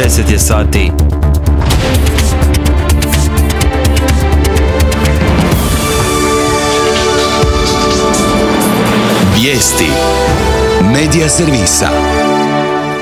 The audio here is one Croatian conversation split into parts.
10 je sati. Vijesti Medija servisa.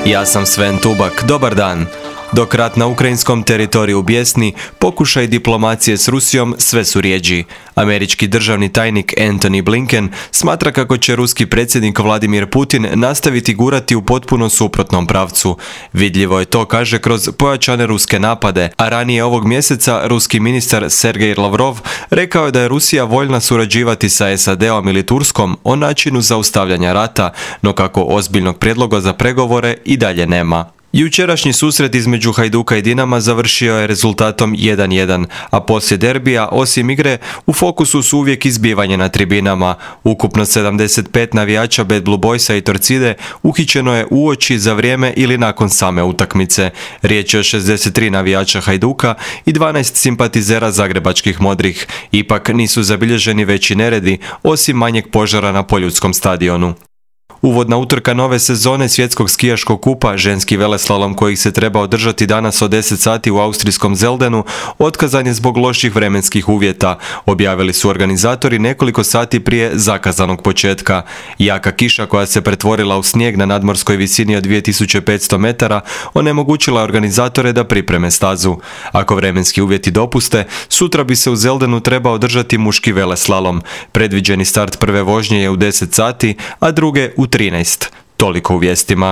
Ja sam Sven Tubak, dobar dan. Dok rat na ukrajinskom teritoriju bjesni, pokušaj diplomacije s Rusijom sve su rjeđi. Američki državni tajnik Antony Blinken smatra kako će ruski predsjednik Vladimir Putin nastaviti gurati u potpuno suprotnom pravcu. Vidljivo je to, kaže, kroz pojačane ruske napade, a ranije ovog mjeseca ruski ministar Sergej Lavrov rekao je da je Rusija voljna surađivati sa SAD-om ili Turskom o načinu zaustavljanja rata, no kako ozbiljnog prijedloga za pregovore i dalje nema. Jučerašnji susret između Hajduka i Dinama završio je rezultatom 1:1, a poslije derbija, osim igre, u fokusu su uvijek izbivanje na tribinama. Ukupno 75 navijača Bad Blue Boysa i Torcide uhićeno je uoči, za vrijeme ili nakon same utakmice. Riječ je o 63 navijača Hajduka i 12 simpatizera zagrebačkih modrih. Ipak nisu zabilježeni veći neredi, osim manjeg požara na Poljudskom stadionu. Uvodna utrka nove sezone svjetskog skijaškog kupa, ženski veleslalom koji se treba održati danas od 10 sati u austrijskom Zeldenu, otkazan je zbog loših vremenskih uvjeta, objavili su organizatori nekoliko sati prije zakazanog početka. Jaka kiša koja se pretvorila u snijeg na nadmorskoj visini od 2500 metara onemogućila organizatore da pripreme stazu. Ako vremenski uvjeti dopuste, sutra bi se u Zeldenu trebao održati muški veleslalom. Predviđeni start prve vožnje je u 10 sati, a druge u 13. Toliko u vijestima.